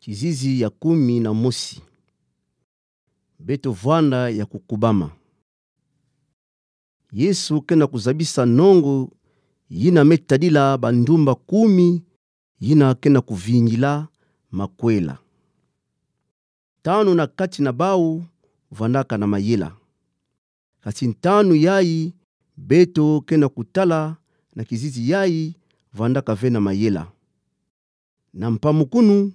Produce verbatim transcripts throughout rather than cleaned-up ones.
Kizizi ya kumi na mosi. Beto vwanda ya kukubama. Yesu ke na kuzabisa nongo yina me tadila bandumba kumi yina ke na kuvingila makwela. Tanu na kati na bau vwandaka na mayela. Kasi ntanu yayi beto ke na kutala na kizizi yayi vwandaka ve na mayela. Na mpamukunu,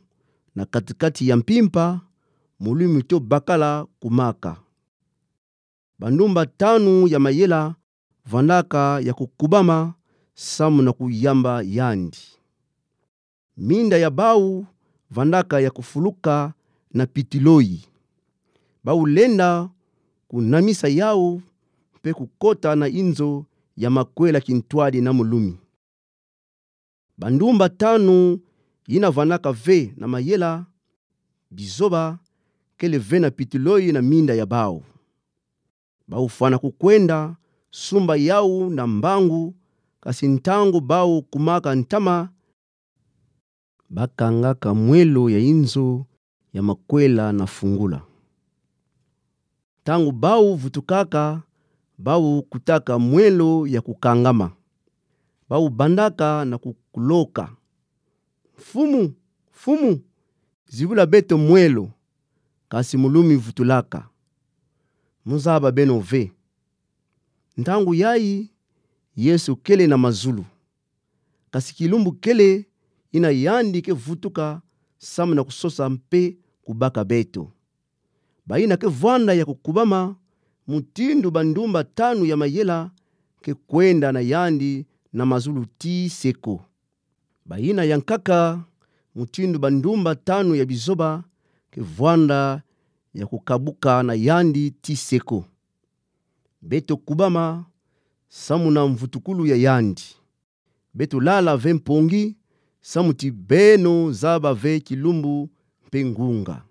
na kati-kati ya mpimpa, mulumi to bakala kumaka. Bandumba tanu ya mayela vwandaka ya kukubama samu na kuyamba yandi. Minda ya bau vwandaka ya kufuluka na pitiloi. Bau lenda kunamisa yau mpe kukota na inzo ya makwela kintwadi na mulumi. Bandumba tanu yina vwandaka ve na mayela, bizoba, kele ve na pitiloi na minda ya bau. Bau fwana kukwenda, sumba yau na mbangu, kasi ntangu bau kumaka ntama, bakangaka mwelo ya inzo ya makwela na fungula. Ntangu bau vutukaka, bau kutaka mwelo ya kukangama. Bau bandaka na kukuloka: Mfumu, Mfumu, zibula beto mwelo. Kasi mulumi vutulaka: Muzaba beno ve. Ntangu yayi, Yesu kele na mazulu. Kasi kilumbu kele yina yandi ke vutuka samu na kusosa mpe kubaka beto. Bayina ke vwanda ya kukubama, mutindu bandumba tanu ya mayela ke kwenda na yandi na mazulu ti seko. Bayina yankaka, mutindu bandumba tanu ya bizoba, ke vwanda ya kukabuka na yandi ti seko. Beto kubama samu na mvutukulu ya yandi. Beto lala ve mpongi, samu ti beno zaba ve kilumbu mpe ngunga.